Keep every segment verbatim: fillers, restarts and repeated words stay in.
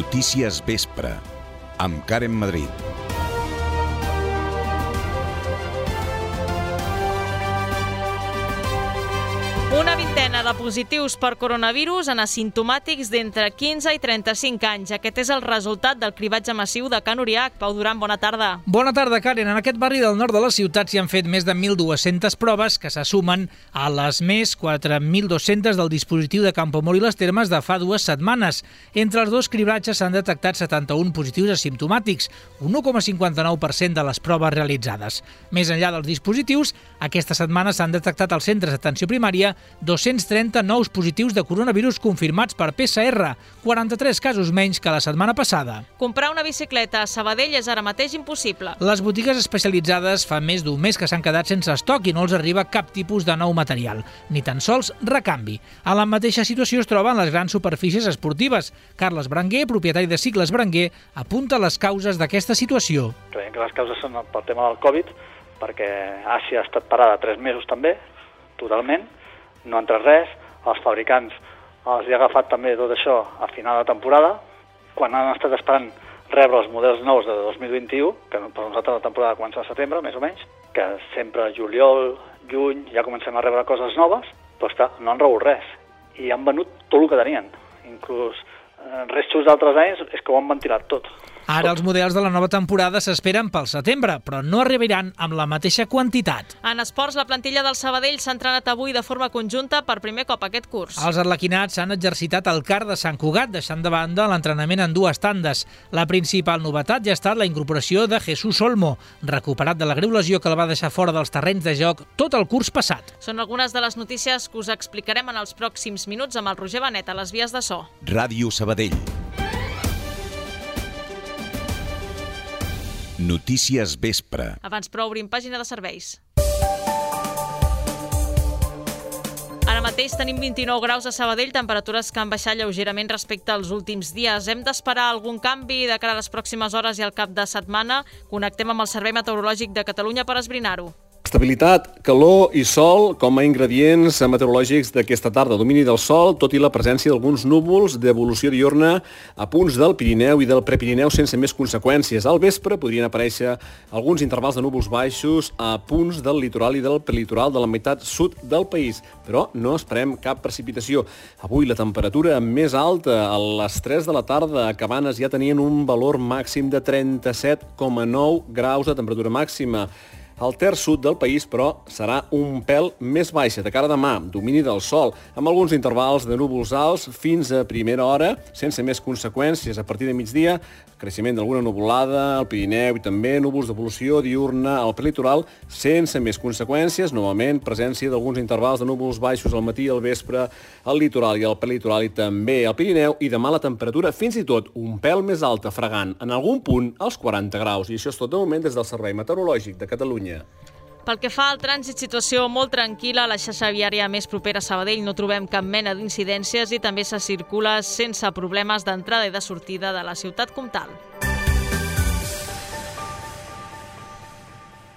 Notícies Vespre, amb Karen Madrid. Una vintena de positius per coronavirus en asimptomàtics d'entre quinze i trenta-cinc anys. Aquest és el resultat del cribatge massiu de Can Uriach. Pau Duran, bona tarda. Bona tarda, Karen. En aquest barri del nord de la ciutat s'hi han fet més de mil dues-centes proves que se sumen a les més quatre mil dos-centes del dispositiu de Campoamor i les Termes de fa dues setmanes. Entre els dos cribratges s'han detectat setanta-un positius asimptomàtics, un u coma cinquanta-nou per cent de les proves realitzades. Més enllà dels dispositius, aquesta setmana s'han detectat als centres d'atenció primària dos-cents trenta nous positius de coronavirus confirmats per P C R, quaranta-tres casos menys que la setmana passada. Comprar una bicicleta a Sabadell és ara mateix impossible. Les botigues especialitzades fa més d'un mes que s'han quedat sense estoc i no els arriba cap tipus de nou material, ni tan sols recanvi. A la mateixa situació es troben les grans superfícies esportives. Carles Berenguer, propietari de Cicles Berenguer, apunta les causes d'aquesta situació. Creiem que les causes són pel tema del Covid, perquè Àsia ha estat parada tres mesos també, totalment, no ha entrat res, els fabricants els hi ha agafat també tot això a final de temporada, quan han estat esperant rebre els models nous de dos mil vint-i-u, que per nosaltres la temporada comença a setembre, més o menys, que sempre juliol, juny, ja comencem a rebre coses noves, però està, no han rebut res, i han venut tot el que tenien, inclús eh, restos d'altres anys és que ho han ventilat tot. Ara els models de la nova temporada s'esperen pel setembre, però no arribaran amb la mateixa quantitat. En esports, la plantilla del Sabadell s'ha entrenat avui de forma conjunta per primer cop aquest curs. Els arlequinats han exercitat el car de Sant Cugat, deixant de banda l'entrenament en dues tandes. La principal novetat ja ha estat la incorporació de Jesús Olmo, recuperat de la greu lesió que el va deixar fora dels terrenys de joc tot el curs passat. Són algunes de les notícies que us explicarem en els pròxims minuts amb el Roger Benet a les vies de so. Ràdio Sabadell. Notícies Vespre. Abans però obrim pàgina de serveis. Ara mateix tenim vint-i-nou graus a Sabadell, temperatures que han baixat lleugerament respecte als últims dies. Hem d'esperar algun canvi de cara a les pròximes hores i al cap de setmana. Connectem amb el Servei Meteorològic de Catalunya per esbrinar-ho. Estabilitat, calor i sol com a ingredients meteorològics d'aquesta tarda. Domini del sol, tot i la presència d'alguns núvols d'evolució diurna a punts del Pirineu i del Prepirineu sense més conseqüències. Al vespre podrien aparèixer alguns intervals de núvols baixos a punts del litoral i del prelitoral de la meitat sud del país, però no esperem cap precipitació. Avui la temperatura més alta, a les tres de la tarda, a Cabanes ja tenien un valor màxim de trenta-set coma nou graus de temperatura màxima. Al terç sud del país, però, serà un pèl més baixa. De cara a demà, domini del sol, amb alguns intervals de núvols alts fins a primera hora, sense més conseqüències. A partir de migdia, creixement d'alguna nuvolada al Pirineu i també núvols d'evolució diurna al prelitoral, sense més conseqüències. Novament, presència d'alguns intervals de núvols baixos al matí i al vespre al litoral i al prelitoral i també al Pirineu. I demà la temperatura fins i tot un pèl més alta, fregant en algun punt als quaranta graus. I això és tot de moment des del Servei Meteorològic de Catalunya. Pel que fa al trànsit, situació molt tranquil·la. A la xarxa viària més propera a Sabadell no trobem cap mena d'incidències i també se circula sense problemes d'entrada i de sortida de la ciutat comtal.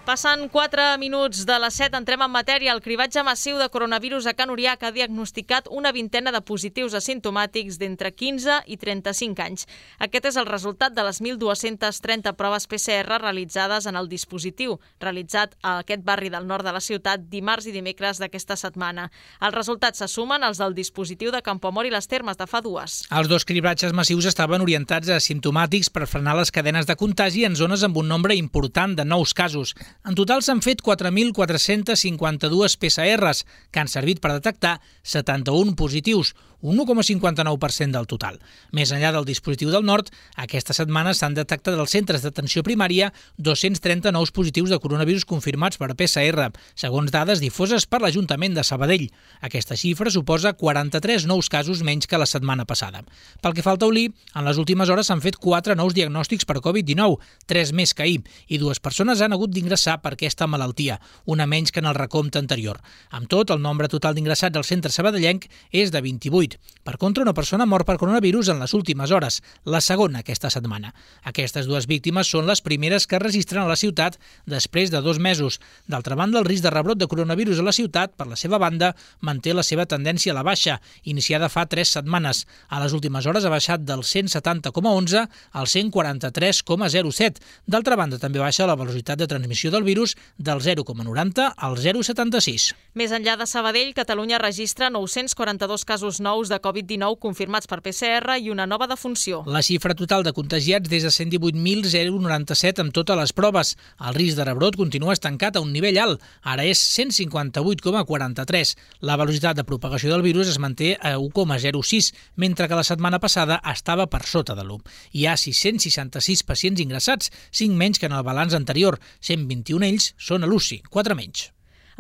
Passen quatre minuts de les set, entrem en matèria. El cribatge massiu de coronavirus a Can Uriach ha diagnosticat una vintena de positius asimptomàtics d'entre quinze i trenta-cinc anys. Aquest és el resultat de les mil dues-centes trenta proves P C R realitzades en el dispositiu, realitzat a aquest barri del nord de la ciutat dimarts i dimecres d'aquesta setmana. Els resultats se sumen als del dispositiu de Campoamor i les Termes de fa dues. Els dos cribratges massius estaven orientats a asimptomàtics per frenar les cadenes de contagi en zones amb un nombre important de nous casos. En total s'han fet quatre mil quatre-cents cinquanta-dos P C Rs, que han servit per detectar setanta-un positius, un u coma cinquanta-nou per cent del total. Més enllà del dispositiu del nord, aquesta setmana s'han detectat als centres d'atenció primària dos-cents trenta nous positius de coronavirus confirmats per P C R, segons dades difoses per l'Ajuntament de Sabadell. Aquesta xifra suposa quaranta-tres nous casos menys que la setmana passada. Pel que fa al taulí, en les últimes hores s'han fet quatre nous diagnòstics per Covid dinou, tres més que ahir, i dues persones han hagut d'ingressar per aquesta malaltia, una menys que en el recompte anterior. Amb tot, el nombre total d'ingressats al centre sabadellenc és de vint-i-vuit. vuit. Per contra, una persona mor per coronavirus en les últimes hores, la segona aquesta setmana. Aquestes dues víctimes són les primeres que es registren a la ciutat després de dos mesos. D'altra banda, el risc de rebrot de coronavirus a la ciutat, per la seva banda, manté la seva tendència a la baixa, iniciada fa tres setmanes. A les últimes hores ha baixat del cent setanta coma onze al cent quaranta-tres coma zero set. D'altra banda, també baixa la velocitat de transmissió del virus del zero coma noranta al zero coma setanta-sis. Més enllà de Sabadell, Catalunya registra nou-cents quaranta-dos casos nous de covid dinou confirmats per P C R i una nova defunció. La xifra total de contagiats des de cent divuit mil noranta-set amb totes les proves. El risc de rebrot continua estancat a un nivell alt. Ara és cent cinquanta-vuit coma quaranta-tres. La velocitat de propagació del virus es manté a u coma zero sis, mentre que la setmana passada estava per sota de l'u. Hi ha sis-cents seixanta-sis pacients ingressats, cinc menys que en el balanç anterior. cent vint-i-un ells són a l'U C I, quatre menys.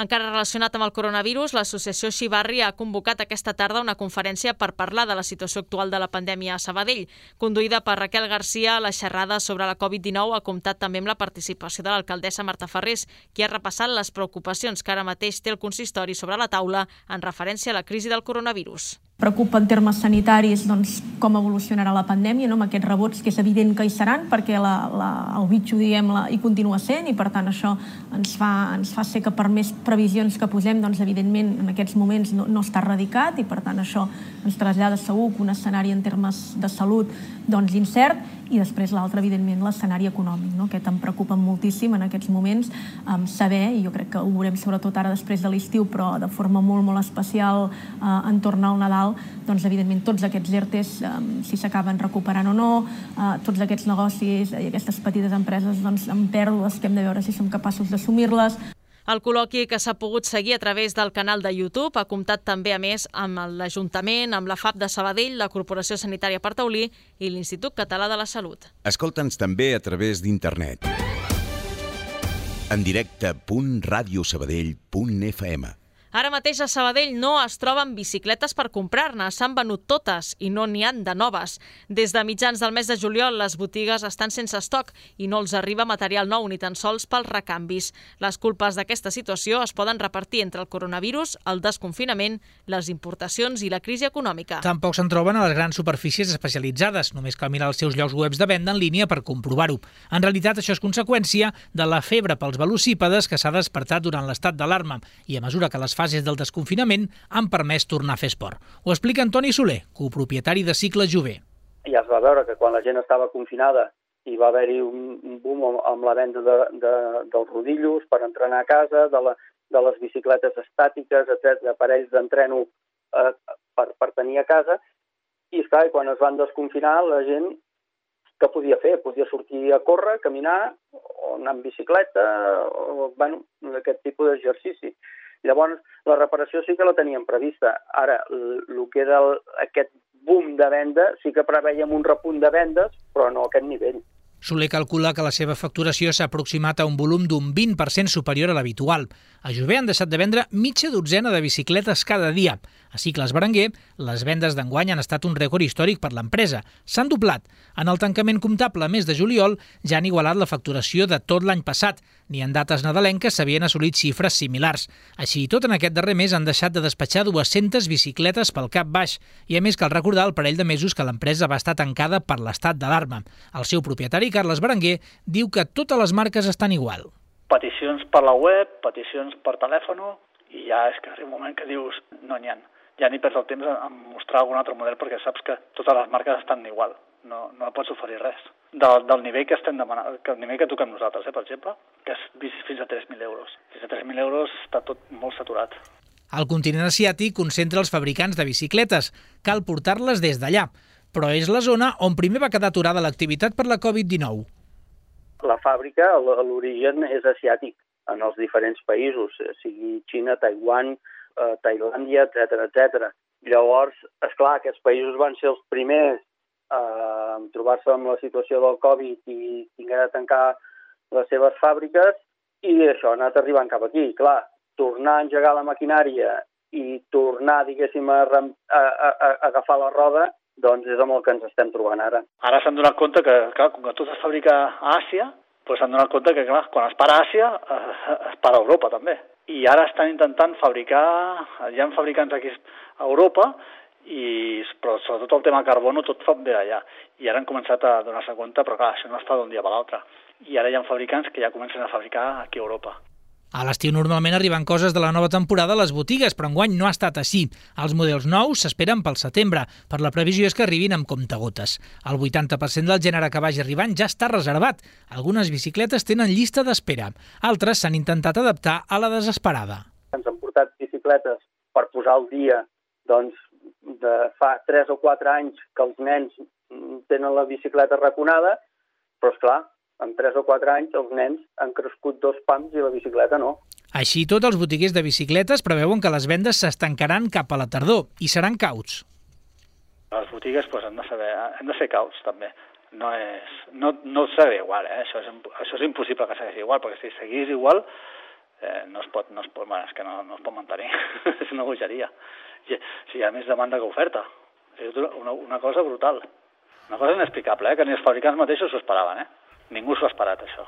Encara relacionat amb el coronavirus, l'associació Xivarri ha convocat aquesta tarda una conferència per parlar de la situació actual de la pandèmia a Sabadell. Conduïda per Raquel Garcia, la xerrada sobre la covid dinou ha comptat també amb la participació de l'alcaldessa Marta Ferrés, qui ha repassat les preocupacions que ara mateix té el consistori sobre la taula en referència a la crisi del coronavirus. Preocupa en termes sanitaris doncs, com evolucionarà la pandèmia, no? Amb aquests rebots que és evident que hi seran perquè la, la, el bitxo diguem, la, hi continua sent i per tant això ens fa, ens fa ser que per més previsions que posem, doncs, evidentment en aquests moments no, no està erradicat i per tant això ens trasllada segur que un escenari en termes de salut doncs, incert i després l'altre, evidentment, l'escenari econòmic, no? Aquest em preocupa moltíssim en aquests moments um, saber, i jo crec que ho veurem sobretot ara després de l'estiu, però de forma molt, molt especial uh, en tornar al Nadal, doncs, evidentment, tots aquests ERTEs, um, si s'acaben recuperant o no, uh, tots aquests negocis i aquestes petites empreses doncs, amb pèrdues que hem de veure si som capaços d'assumir-les. El col·loqui que s'ha pogut seguir a través del canal de YouTube ha comptat també, a més, amb l'Ajuntament, amb la F A P de Sabadell, la Corporació Sanitària per Taulí i l'Institut Català de la Salut. Escolta'ns també a través d'internet. En directe punt radiosabadell punt f m. Ara mateix a Sabadell no es troben bicicletes per comprar-ne, s'han venut totes i no n'hi han de noves. Des de mitjans del mes de juliol les botigues estan sense estoc i no els arriba material nou ni tan sols pels recanvis. Les culpes d'aquesta situació es poden repartir entre el coronavirus, el desconfinament, les importacions i la crisi econòmica. Tampoc se'n troben a les grans superfícies especialitzades, només cal mirar els seus llocs webs de venda en línia per comprovar-ho. En realitat això és conseqüència de la febre pels velocípedes que s'ha despertat durant l'estat d'alarma i a mesura que les fases del desconfinament han permès tornar a fer esport. Ho explica Antoni Soler, copropietari de Cicle Jove. Ja es va veure que quan la gent estava confinada hi va haver-hi un boom amb la venda de, de, dels rodillos per entrenar a casa, de, la, de les bicicletes estàtiques, etcètera, aparells d'entreno eh, per, per tenir a casa. I esclar, quan es van desconfinar, la gent què podia fer? Podia sortir a córrer, caminar, o anar amb bicicleta, o bueno, aquest tipus d'exercici. Llavors, la reparació sí que la teníem prevista. Ara, el que era el, aquest boom de venda, sí que preveiem un repunt de vendes, però no a aquest nivell. Soler calcula que la seva facturació s'ha aproximat a un volum d'un vint per cent superior a l'habitual. A Jove han deixat de vendre mitja dotzena de bicicletes cada dia. A Cicles Berenguer, les vendes d'enguany han estat un rècord històric per l'empresa. S'han doblat. En el tancament comptable mes de juliol ja han igualat la facturació de tot l'any passat. Ni en dates nadalenques s'havien assolit xifres similars. Així i tot, en aquest darrer mes han deixat de despatxar dues-centes bicicletes pel cap baix. I a més cal recordar el parell de mesos que l'empresa va estar tancada per l'estat d'alarma. El seu propietari, Carles Berenguer, diu que totes les marques estan igual. Peticions per la web, peticions per telèfon, i ja és que arriba un moment que dius no n'hi ha. Ja ni perds el temps en mostrar algun altre model perquè saps que totes les marques estan igual. No, no pots oferir res. Del, del nivell que estem demanant, que el nivell que toquem nosaltres, eh, per exemple, que és bicis fins a tres mil euros. Fins a tres mil euros està tot molt saturat. El continent asiàtic concentra els fabricants de bicicletes. Cal portar-les des d'allà, però és la zona on primer va quedar aturada l'activitat per la covid dinou. La fàbrica, l'origen és asiàtic en els diferents països, sigui Xina, Taiwan, eh, Tailàndia, etcètera, etcètera. Llavors, esclar, aquests països van ser els primers a trobar-se amb la situació del Covid i haver de tancar les seves fàbriques i això ha anat arribant cap aquí. Clar, tornar a engegar la maquinària i tornar, diguéssim, a, a, a, a agafar la roda, doncs és amb el que ens estem trobant ara. Ara s'han donat compte que, clar, com que tot es fabrica a Àsia, doncs s'han donat compte que, clar, quan es para a Àsia, es para a Europa també. I ara estan intentant fabricar, hi ha fabricants aquí a Europa, I, però sobretot el tema carbono tot fa bé allà. I ara han començat a donar-se compte, però clar, això no es fa d'un dia per l'altre. I ara hi ha fabricants que ja comencen a fabricar aquí a Europa. A l'estiu normalment arriben coses de la nova temporada a les botigues, però enguany no ha estat així. Els models nous s'esperen pel setembre, per la previsió és que arribin amb comptagotes. El vuitanta per cent del gènere que vagi arribant ja està reservat. Algunes bicicletes tenen llista d'espera. Altres s'han intentat adaptar a la desesperada. Ens han portat bicicletes per posar al dia, doncs, de fa tres o quatre anys que els nens tenen la bicicleta raconada, però, esclar, en tres o quatre anys els nens han crescut dos pams i la bicicleta no. Així tot, els botiguers de bicicletes preveuen que les vendes s'estancaran cap a la tardor i seran cauts. Les botigues pues, han, de saber, han de ser cauts, també. No, és, no, no serà igual, eh? això, és, això és impossible que segueixi igual, perquè si seguís igual eh, no es pot, no es pot, bueno, és que no, no es pot mantenir, és una bogeria. Si hi ha més demanda que oferta. És una, una cosa brutal. Una cosa inexplicable, eh? que ni els fabricants mateixos s'ho esperaven. Eh? Ningú s'ho ha esperat, això.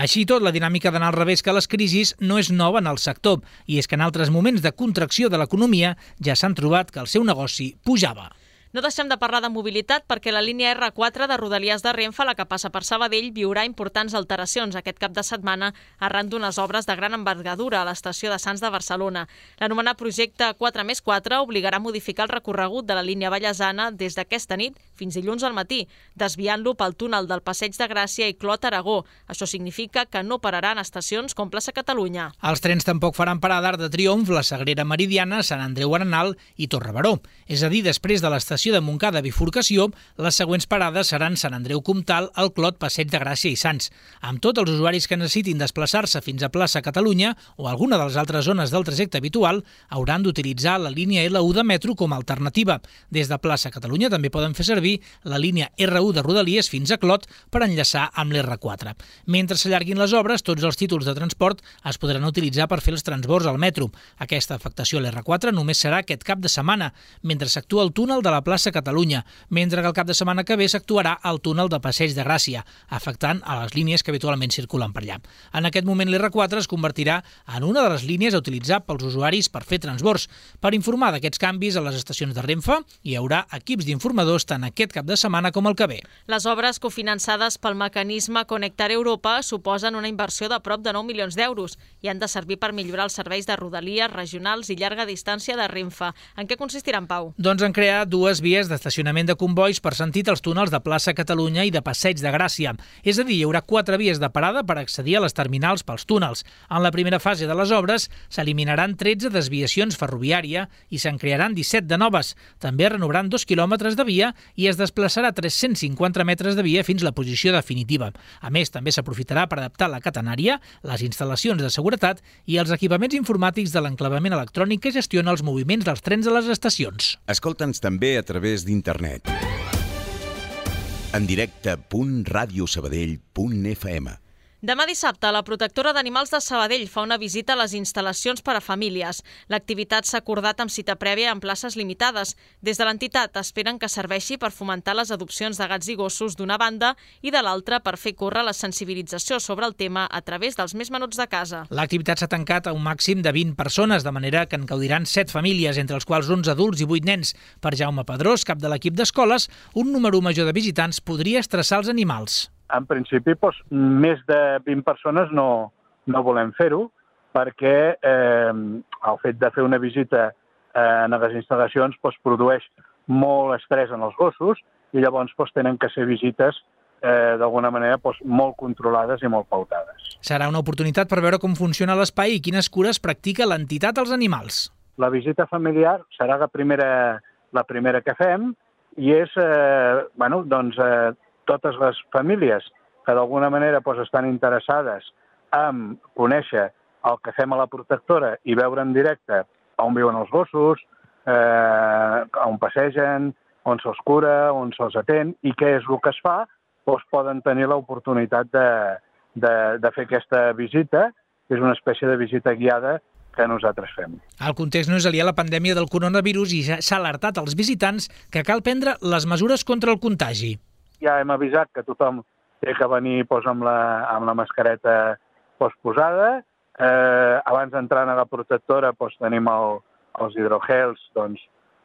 Així tot, la dinàmica d'anar al revés que les crisis no és nova en el sector, i és que en altres moments de contracció de l'economia ja s'han trobat que el seu negoci pujava. No deixem de parlar de mobilitat perquè la línia erre quatre de Rodalies de Renfe, la que passa per Sabadell, viurà importants alteracions aquest cap de setmana arran d'unes obres de gran envergadura a l'estació de Sants de Barcelona. L'anomenat projecte quatre més quatre obligarà a modificar el recorregut de la línia ballesana des d'aquesta nit fins dilluns al matí, desviant-lo pel túnel del Passeig de Gràcia i Clot Aragó. Això significa que no pararan estacions com Plaça Catalunya. Els trens tampoc faran parada d'Arc de Triomf, la Sagrera Meridiana, Sant Andreu Arenal i Torre Baró. És a dir, després de l'estació de Montcada Bifurcació, les següents parades seran Sant Andreu Comtal, el Clot, Passeig de Gràcia i Sants. Amb tot, els usuaris que necessitin desplaçar-se fins a Plaça Catalunya o alguna de les altres zones del trajecte habitual hauran d'utilitzar la línia ele u de metro com a alternativa. Des de Plaça Catalunya també poden fer servir la línia erre u de Rodalies fins a Clot per enllaçar amb l'erre quatre. Mentre s'allarguin les obres, tots els títols de transport es podran utilitzar per fer els transbords al metro. Aquesta afectació a l'erre quatre només serà aquest cap de setmana, mentre s'actua el túnel de la Plaça Catalunya, mentre que el cap de setmana que ve s'actuarà el túnel de Passeig de Gràcia, afectant a les línies que habitualment circulen per allà. En aquest moment l'erre quatre es convertirà en una de les línies a utilitzar pels usuaris per fer transbords. Per informar d'aquests canvis a les estacions de Renfe hi haurà equips d'informadors tant aquest cap de setmana com el que ve. Les obres cofinançades pel mecanisme Connectar Europa suposen una inversió de prop de nou milions d'euros i han de servir per millorar els serveis de rodalies, regionals i llarga distància de Renfe. En què consistiran, Pau? Doncs en crear dues vies d'estacionament de convois per sentit als túnels de Plaça Catalunya i de Passeig de Gràcia. És a dir, hi haurà quatre vies de parada per accedir a les terminals pels túnels. En la primera fase de les obres s'eliminaran tretze desviacions ferroviària i se'n crearan disset de noves. També es renovaran dos quilòmetres de via i es desplaçarà tres-cents cinquanta metres de via fins la posició definitiva. A més, també s'aprofitarà per adaptar la catenària, les instal·lacions de seguretat i els equipaments informàtics de l'enclavament electrònic que gestiona els moviments dels trens a les estacions. Escolta'ns també a través d'internet. En directe punt radiosabadell punt efa ema. Demà dissabte, la protectora d'animals de Sabadell fa una visita a les instal·lacions per a famílies. L'activitat s'ha acordat amb cita prèvia en places limitades. Des de l'entitat esperen que serveixi per fomentar les adopcions de gats i gossos d'una banda i de l'altra per fer córrer la sensibilització sobre el tema a través dels més menuts de casa. L'activitat s'ha tancat a un màxim de vint persones, de manera que en gaudiran set famílies, entre els quals onze adults i vuit nens. Per Jaume Pedrós, cap de l'equip d'escoles, un número major de visitants podria estressar els animals. En principi, doncs, més de vint persones no, no volem fer-ho perquè eh, el fet de fer una visita eh, en les instal·lacions doncs, produeix molt estrès en els gossos i llavors doncs, tenen que ser visites eh, d'alguna manera doncs, molt controlades i molt pautades. Serà una oportunitat per veure com funciona l'espai i quines cures practica l'entitat als animals. La visita familiar serà la primera, la primera que fem i és, eh, bueno, doncs, eh, totes les famílies que d'alguna manera doncs, estan interessades en conèixer el que fem a la protectora i veure en directe on viuen els gossos, eh, on passegen, on se'ls cura, on se'ls atén i què és el que es fa, doncs poden tenir l'oportunitat de, de, de fer aquesta visita, que és una espècie de visita guiada que nosaltres fem. El context no és aliè a la pandèmia del coronavirus i s'ha alertat als visitants que cal prendre les mesures contra el contagi. Ja hem avisat que tothom té que venir doncs, amb, la, amb la mascareta doncs, posada. Eh, abans d'entrar a la protectora doncs, tenim el, els hidrogels doncs,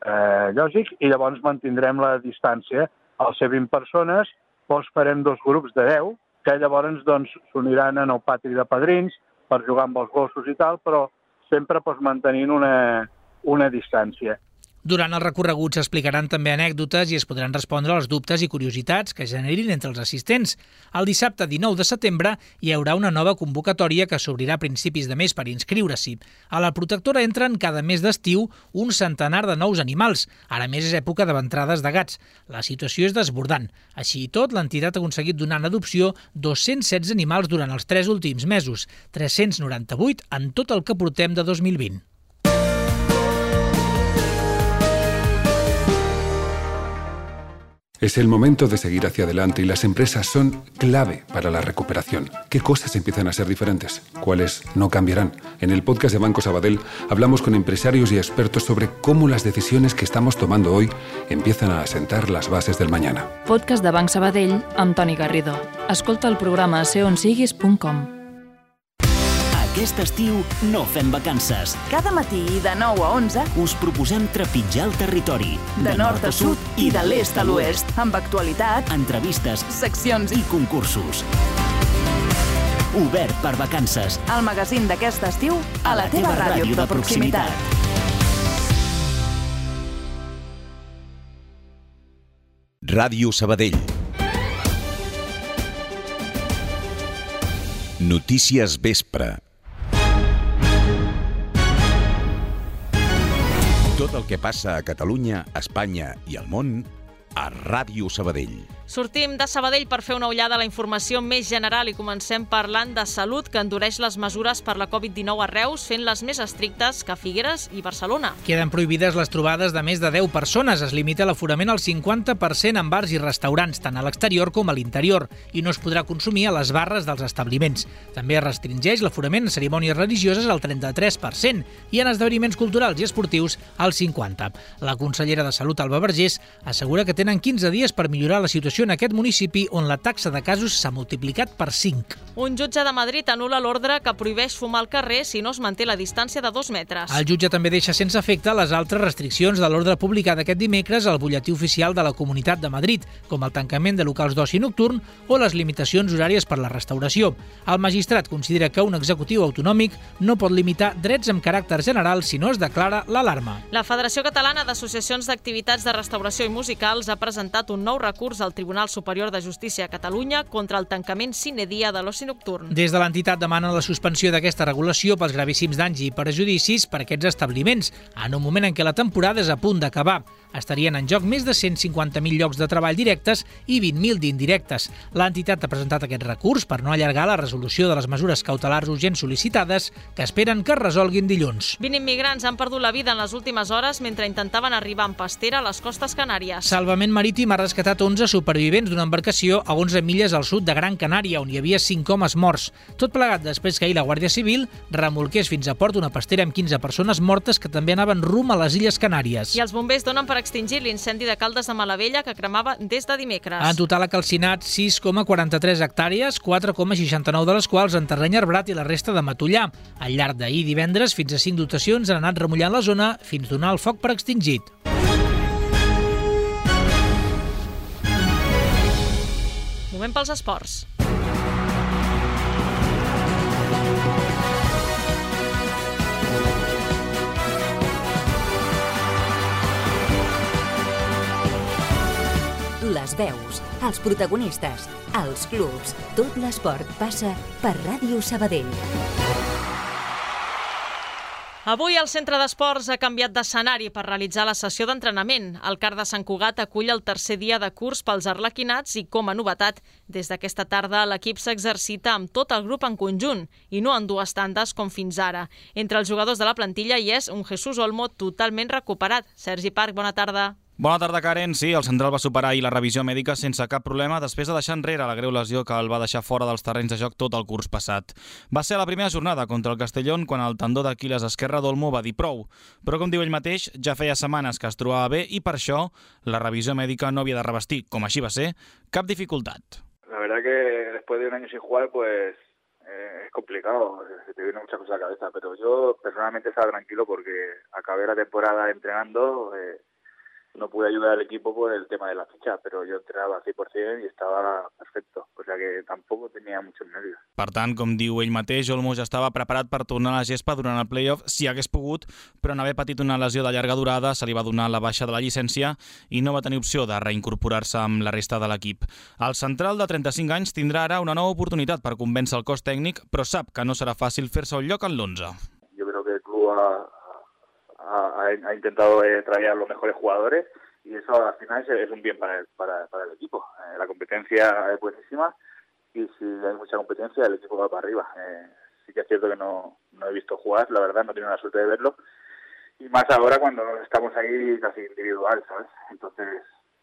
eh, lògic, i llavors mantindrem la distància. Al ser vint persones, doncs farem dos grups de deu, que llavors doncs, s'uniran en el pati de padrins per jugar amb els gossos i tal, però sempre doncs, mantenint una, una distància. Durant el recorregut s'explicaran també anècdotes i es podran respondre als dubtes i curiositats que generin entre els assistents. El dissabte dinou de setembre hi haurà una nova convocatòria que s'obrirà a principis de mes per inscriure-s'hi. A la protectora entren cada mes d'estiu un centenar de nous animals. Ara més és època de ventrades de gats. La situació és desbordant. Així i tot, l'entitat ha aconseguit donar en adopció dos-cents setze animals durant els tres últims mesos, tres-cents noranta-vuit en tot el que portem de dos mil vint. Es el momento de seguir hacia adelante y las empresas son clave para la recuperación. ¿Qué cosas empiezan a ser diferentes? ¿Cuáles no cambiarán? En el podcast de Banco Sabadell hablamos con empresarios y expertos sobre cómo las decisiones que estamos tomando hoy empiezan a asentar las bases del mañana. Podcast de Banc Sabadell amb Toni Garrido. Escolta el programa a seonsiguis punt com. Aquest estiu no fem vacances. Cada matí de nou a onze us proposem trepitjar el territori. De, de nord a sud i de l'est a l'oest. Amb actualitat, entrevistes, seccions i concursos. Obert per vacances. El magazín d'aquest estiu a la, la teva ràdio de proximitat. Ràdio Sabadell. Notícies Vespre. Tot el que passa a Catalunya, Espanya i al món a Ràdio Sabadell. Sortim de Sabadell per fer una ullada a la informació més general i comencem parlant de salut, que endureix les mesures per la covid dinou a Reus, fent-les més estrictes que Figueres i Barcelona. Queden prohibides les trobades de més de deu persones. Es limita l'aforament al cinquanta per cent en bars i restaurants, tant a l'exterior com a l'interior, i no es podrà consumir a les barres dels establiments. També es restringeix l'aforament en cerimònies religioses al trenta-tres per cent i en esdeveniments culturals i esportius al cinquanta per cent. La consellera de Salut, Alba Vergés, assegura que tenen quinze dies per millorar la situació en aquest municipi on la taxa de casos s'ha multiplicat per cinc. Un jutge de Madrid anul·la l'ordre que prohibeix fumar al carrer si no es manté la distància de dos metres. El jutge també deixa sense efecte les altres restriccions de l'ordre publicat aquest dimecres al butlletí oficial de la Comunitat de Madrid, com el tancament de locals d'oci nocturn o les limitacions horàries per la restauració. El magistrat considera que un executiu autonòmic no pot limitar drets amb caràcter general si no es declara l'alarma. La Federació Catalana d'Associacions d'Activitats de Restauració i Musicals ha presentat un nou recurs al Tribunal Superior de Justícia a Catalunya contra el tancament sine dia de l'oci nocturn. Des de l'entitat demanen la suspensió d'aquesta regulació pels gravíssims danys i perjudicis per aquests establiments, en un moment en què la temporada és a punt d'acabar. Estarien en joc més de cent cinquanta mil llocs de treball directes i vint mil d'indirectes. L'entitat ha presentat aquest recurs per no allargar la resolució de les mesures cautelars urgents sol·licitades, que esperen que es resolguin dilluns. vint immigrants han perdut la vida en les últimes hores mentre intentaven arribar en pastera a les costes Canàries. Salvament Marítim ha rescatat onze supervivents d'una embarcació a onze milles al sud de Gran Canària, on hi havia cinc homes morts. Tot plegat després que ahir la Guàrdia Civil remolqués fins a port una pastera amb quinze persones mortes que també anaven rum a les Illes Canàries. I els bombers donen per extingir l'incendi de Caldes de Malavella, que cremava des de dimecres. En total ha calcinat sis coma quaranta-tres hectàrees, quatre coma seixanta-nou de les quals en terreny arbrat i la resta de matollar. Al llarg d'ahir divendres, fins a cinc dotacions han anat remullant la zona fins donar el foc per extingit. Moment pels esports. Les veus, els protagonistes, els clubs, tot l'esport passa per Ràdio Sabadell. Avui el Centre d'Esports ha canviat d'escenari per realitzar la sessió d'entrenament. El CAR de Sant Cugat acull el tercer dia de curs pels arlequinats i, com a novetat, des d'aquesta tarda l'equip s'exercita amb tot el grup en conjunt i no en dues tandes com fins ara. Entre els jugadors de la plantilla hi és un Jesús Olmo totalment recuperat. Sergi Parc, bona tarda. Bona tarda, Karen. Sí, el central va superar ahir la revisió mèdica sense cap problema després de deixar enrere la greu lesió que el va deixar fora dels terrenys de joc tot el curs passat. Va ser a la primera jornada contra el Castellón quan el tendó d'Aquiles esquerre d'Olmo va dir prou. Però, com diu ell mateix, ja feia setmanes que es trobava bé i per això la revisió mèdica no havia de revestir, com així va ser, cap dificultat. La verdad que después de un año sin jugar, pues eh, es complicado, se te vienen muchas cosas a la cabeza, pero yo personalmente estaba tranquilo porque acabé la temporada entrenando. Eh, no pude ayudar al equipo por el tema de la ficha, pero yo entrenaba al cien por cien y estaba perfecto, o sea que tampoco tenía muchos nervios. Per tant, com diu ell mateix, Olmo ja estava preparat per tornar a la gespa durant el play-off si hagués pogut, però en haver patit una lesió de llarga durada se li va donar la baixa de la llicència i no va tenir opció de reincorporar-se amb la resta de l'equip. El central de trenta-cinc anys tindrà ara una nova oportunitat per convèncer el cos tècnic, però sap que no serà fàcil fer-se un lloc en l'onze. Yo creo que el club ha, ha, ha intentado eh, traer a los mejores jugadores y eso al final es, es un bien para el, para, para el equipo. Eh, la competencia es buenísima y si hay mucha competencia el equipo va para arriba. Eh, sí que es cierto que no, no he visto jugar, la verdad, no he tenido la suerte de verlo. Y más ahora cuando estamos ahí casi individual, ¿sabes? Entonces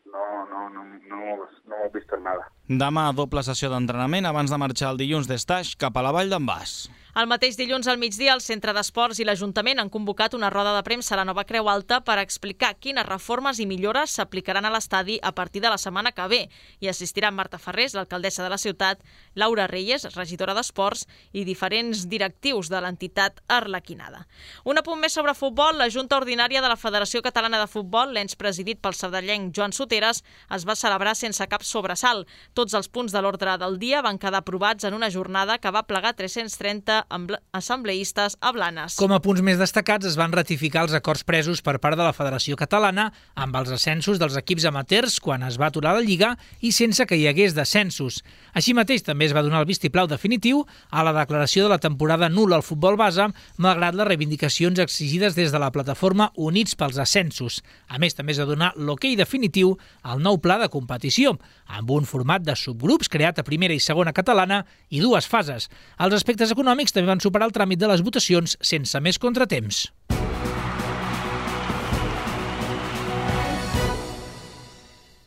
no, no, no, no, hemos, no hemos visto nada. Demà doble sessió d'entrenament abans de marxar el dilluns d'Estaix cap a la Vall d'en Bas. El mateix dilluns al migdia, el Centre d'Esports i l'Ajuntament han convocat una roda de premsa a la Nova Creu Alta per explicar quines reformes i millores s'aplicaran a l'estadi a partir de la setmana que ve. Hi assistiran Marta Ferrés, l'alcaldessa de la ciutat, Laura Reyes, regidora d'Esports, i diferents directius de l'entitat arlequinada. Un apunt més sobre futbol, la Junta Ordinària de la Federació Catalana de Futbol, l'ens presidit pel sardellenc Joan Soteres, es va celebrar sense cap sobresalt. Tots els punts de l'ordre del dia van quedar aprovats en una jornada que va plegar tres-cents trenta assembleistes a Blanes. Com a punts més destacats es van ratificar els acords presos per part de la Federació Catalana amb els ascensos dels equips amateurs quan es va aturar la Lliga i sense que hi hagués descensos. Així mateix també es va donar el vistiplau definitiu a la declaració de la temporada nul·la al futbol base, malgrat les reivindicacions exigides des de la plataforma Units pels Ascensos. A més, també es va donar l'hoquei definitiu al nou pla de competició, amb un format de subgrups creat a primera i segona catalana i dues fases. Els aspectes econòmics també van superar el tràmit de les votacions sense més contratemps.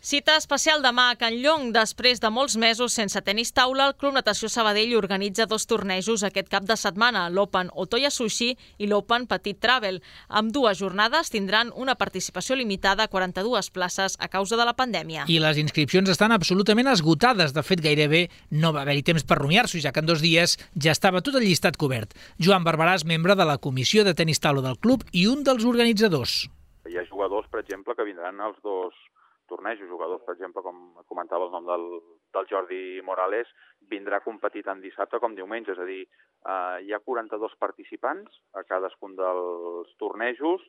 Cita especial demà a Can Llong. Després de molts mesos sense tenis taula, el Club Natació Sabadell organitza dos tornejos aquest cap de setmana, l'Open Otoya Sushi i l'Open Petit Travel. Amb dues jornades tindran una participació limitada a quaranta-dues places a causa de la pandèmia. I les inscripcions estan absolutament esgotades. De fet, gairebé no va haver-hi temps per rumiar-s'ho, ja que en dos dies ja estava tot el llistat cobert. Joan Barberà és membre de la comissió de tenis taula del club i un dels organitzadors. Hi ha jugadors, per exemple, que vindran als dos tornejos, jugadors, per exemple, com comentava el nom del, del Jordi Morales, vindrà a competir tant dissabte com diumenge, és a dir, eh, hi ha quaranta-dos participants a cadascun dels tornejos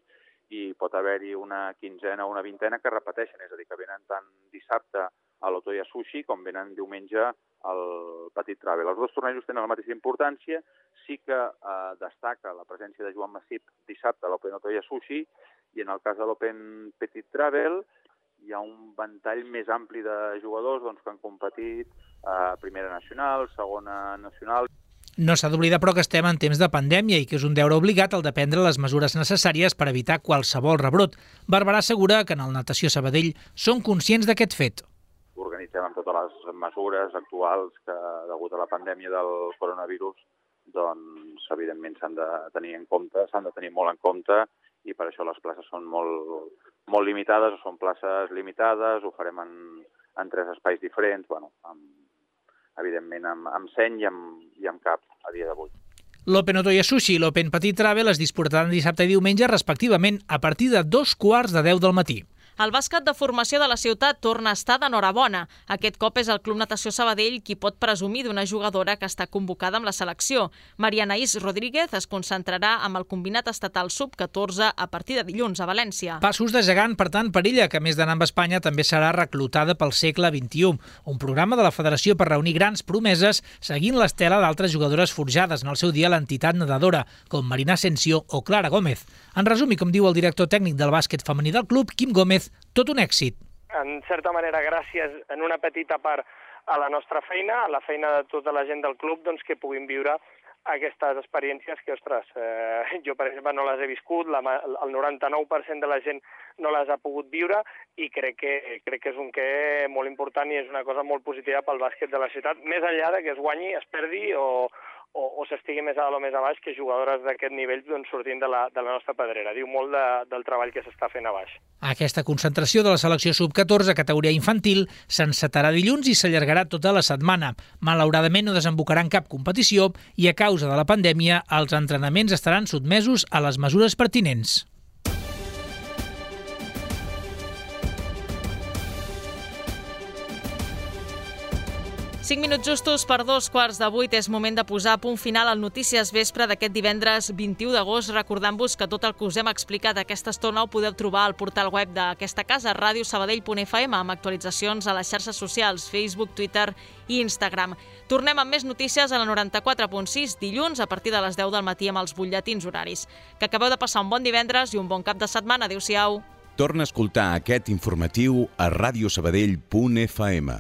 i pot haver-hi una quinzena o una vintena que repeteixen, és a dir, que venen tant dissabte a l'Otoya Sushi com venen diumenge al Petit Travel. Els dos tornejos tenen la mateixa importància, sí que eh, destaca la presència de Joan Massip dissabte a l'Open Otoya Sushi i en el cas de l'Open Petit Travel hi ha un ventall més ampli de jugadors doncs, que han competit a primera nacional, segona nacional. No s'ha d'oblidar, però, que estem en temps de pandèmia i que és un deure obligat el de prendre les mesures necessàries per evitar qualsevol rebrot. Barberà assegura que en el Natació Sabadell són conscients d'aquest fet. Organitzem amb totes les mesures actuals que, degut a la pandèmia del coronavirus, doncs, evidentment s'han de tenir en compte, s'han de tenir molt en compte i per això les places són molt, molt limitades, o són places limitades, ho farem en, en tres espais diferents, bueno, amb, evidentment amb, amb seny i amb, i amb cap a dia d'avui. L'Open Otoya Sushi i l'Open Petit Travel es disputaran dissabte i diumenge, respectivament, a partir de dos quarts de deu del matí. El bàsquet de formació de la ciutat torna a estar d'enhorabona. Aquest cop és el Club Natació Sabadell qui pot presumir d'una jugadora que està convocada amb la selecció. Maria Anaís Rodríguez es concentrarà amb el combinat estatal sub catorze a partir de dilluns a València. Passos de gegant, per tant, per ella, que a més d'anar amb Espanya també serà reclutada pel segle vint-i-u, un programa de la Federació per reunir grans promeses seguint l'estela d'altres jugadores forjades en el seu dia a l'entitat nedadora, com Marina Asensio o Clara Gómez. En resum, i com diu el director tècnic del bàsquet femení del club, Quim Gómez, tot un èxit. En certa manera, gràcies en una petita part a la nostra feina, a la feina de tota la gent del club, doncs que puguin viure aquestes experiències que, ostres, eh, jo, per exemple, no les he viscut, la, el noranta-nou per cent de la gent no les ha pogut viure i crec que, crec que és un què molt important i és una cosa molt positiva pel bàsquet de la ciutat, més enllà de que es guanyi, es perdi o, o, o s'estigui més a dalt o més a baix, que jugadores d'aquest nivell doncs, sortint de la, de la nostra pedrera. Diu molt de, del treball que s'està fent a baix. Aquesta concentració de la selecció sub catorze categoria infantil s'encetarà dilluns i s'allargarà tota la setmana. Malauradament no desembocarà en cap competició i a causa de la pandèmia els entrenaments estaran sotmesos a les mesures pertinents. Cinc minuts justos per dos quarts de vuit. És moment de posar a punt final al Notícies Vespre d'aquest divendres vint-i-u d'agost, recordant-vos que tot el que us hem explicat aquesta estona ho podeu trobar al portal web d'aquesta casa, ràdio sabadell punt f m, amb actualitzacions a les xarxes socials, Facebook, Twitter i Instagram. Tornem amb més notícies a la noranta-quatre punt sis, dilluns, a partir de les deu del matí amb els butlletins horaris. Que acabeu de passar un bon divendres i un bon cap de setmana. Adéu-siau. Torna a escoltar aquest informatiu a ràdio sabadell punt f m.